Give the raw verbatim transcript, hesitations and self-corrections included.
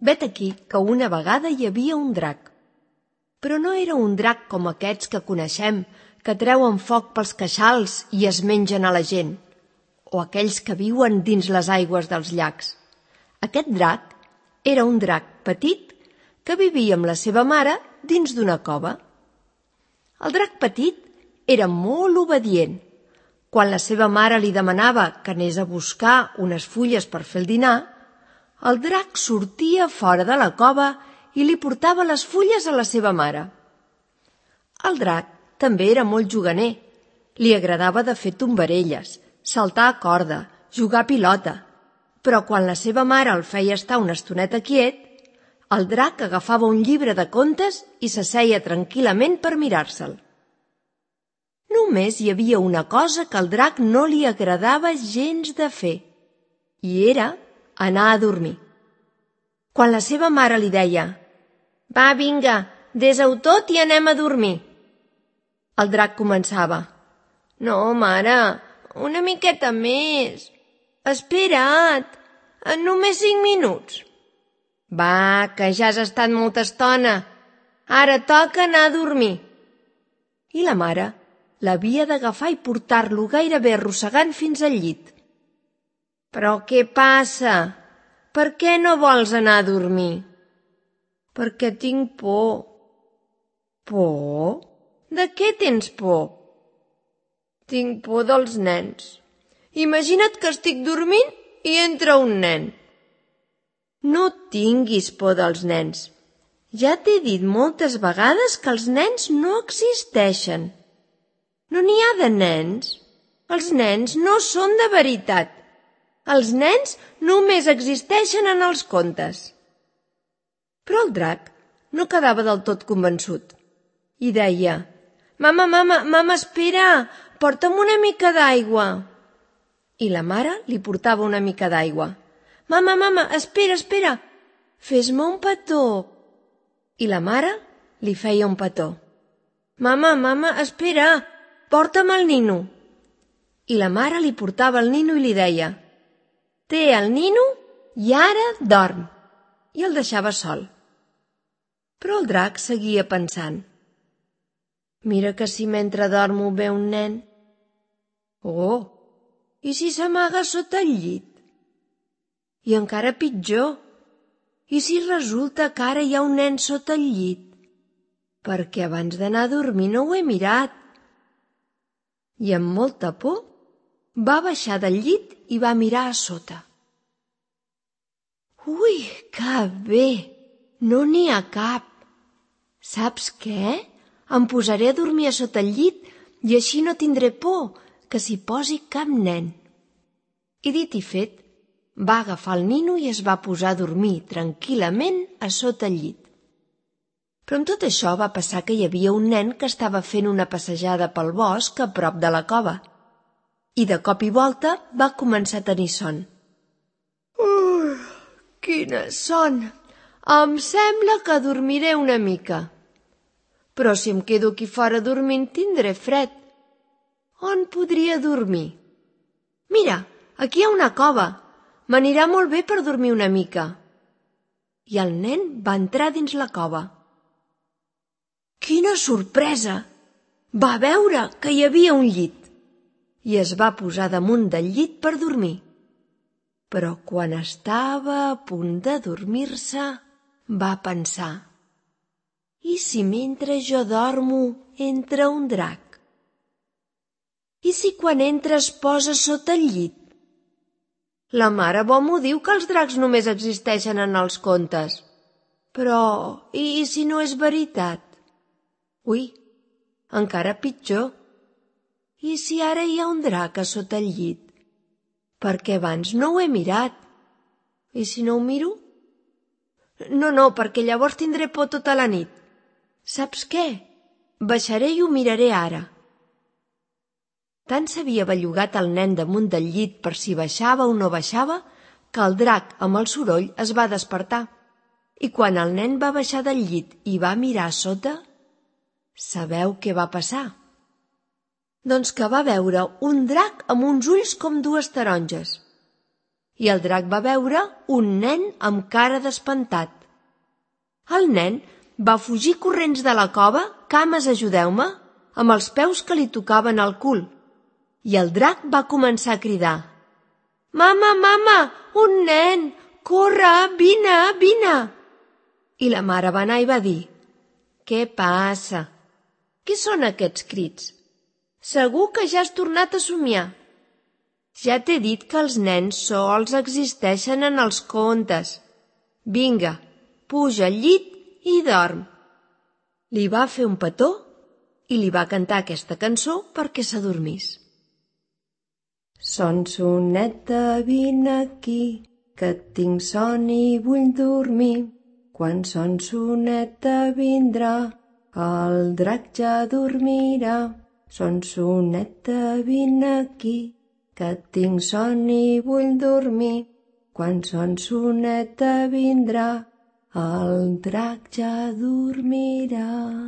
Vet aquí que una vegada hi havia un drac. Però no era un drac com aquests que coneixem, que treuen foc pels queixals i es mengen a la gent, o aquells que viuen dins les aigües dels llacs. Aquest drac era un drac petit que vivia amb la seva mare dins d'una cova. El drac petit era molt obedient. Quan la seva mare li demanava que anés a buscar unes fulles per fer el dinar, el drac sortia fora de la cova i li portava les fulles a la seva mare. El drac també era molt juganer. Li agradava de fer tombarelles, saltar a corda, jugar a pilota. Però quan la seva mare el feia estar una estoneta quiet, el drac agafava un llibre de contes i s'asseia tranquil·lament per mirar-se'l. Només hi havia una cosa que al drac no li agradava gens de fer, i era anar a dormir. Quan la seva mare li deia «Va, vinga, desa-ho tot i anem a dormir», el drac començava «No, mare, una miqueta més. Espera't, només cinc minuts». «Va, que ja has estat molta estona. Ara toca anar a dormir». I la mare l'havia d'agafar i portar-lo gairebé arrossegant fins al llit. «Però què passa? Per què no vols anar a dormir?» «Perquè tinc por». «Por? De què tens por?» «Tinc por dels nens. Imagina't que estic dormint i entra un nen». «No tinguis por dels nens. Ja t'he dit moltes vegades que els nens no existeixen. No n'hi ha de nens. Els nens no són de veritat. Els nens només existeixen en els contes». Però el drac no quedava del tot convençut i deia «Mama, mama, mama, espera, porta'm una mica d'aigua». I la mare li portava una mica d'aigua. «Mama, mama, espera, espera, fes-me un petó». I la mare li feia un petó. «Mama, mama, espera, porta'm el nino». I la mare li portava el nino i li deia «Té el nino i ara dorm». I el deixava sol. Però el drac seguia pensant «Mira que si mentre dormo ve un nen... Oh, i si s'amaga sota el llit? I encara pitjor, i si resulta que ara hi ha un nen sota el llit? Perquè abans d'anar a dormir no ho he mirat». I amb molta por va baixar del llit i va mirar a sota. «Ui, que bé! No n'hi ha cap. Saps què? Em posaré a dormir a sota el llit i així no tindré por que s'hi posi cap nen». I dit i fet, va agafar el nino i es va posar a dormir tranquil·lament a sota el llit. Però amb tot això va passar que hi havia un nen que estava fent una passejada pel bosc a prop de la cova i de cop i volta va començar a tenir son. «Ui, quina son! Em sembla que dormiré una mica. Però si em quedo aquí fora dormint tindré fred. On podria dormir? Mira, aquí hi ha una cova. M'anirà molt bé per dormir una mica». I el nen va entrar dins la cova. Quina sorpresa! Va veure que hi havia un llit i es va posar damunt del llit per dormir. Però quan estava a punt de dormir-se, va pensar «I si mentre jo dormo entra un drac? I si quan entra es posa sota el llit? La mare bo m'ho diu que els dracs només existeixen en els contes. Però i si no és veritat? Ui, encara pitjor. I si ara hi ha un drac a sota el llit? Perquè abans no ho he mirat. I si no ho miro? No, no, perquè llavors tindré por tota la nit. Saps què? Baixaré i ho miraré ara». Tant s'havia bellugat el nen damunt del llit per si baixava o no baixava que el drac, amb el soroll, es va despertar. I quan el nen va baixar del llit i va mirar a sota, sabeu què va passar? Doncs que va veure un drac amb uns ulls com dues taronges. i el drac va veure un nen amb cara d'espantat. El nen va fugir corrents de la cova, cames ajudeu-me, amb els peus que li tocaven al cul, i el drac va començar a cridar: «Mama, mama, un nen! Corre, vine, vine!» I la mare va anar i va dir: «Què passa? Què són aquests crits? Segur que ja has tornat a somiar. Ja t'he dit que els nens sols existeixen en els contes. Vinga, puja al llit i dorm». Li va fer un petó i li va cantar aquesta cançó perquè s'adormís. Sonsoneta, vine aquí, que tinc son i vull dormir. Quan Sonsoneta vindrà, el drac ja dormirà. Sonsoneta, vine aquí, que tinc son i vull dormir. Quan Sonsoneta vindrà, el drac ja dormirà.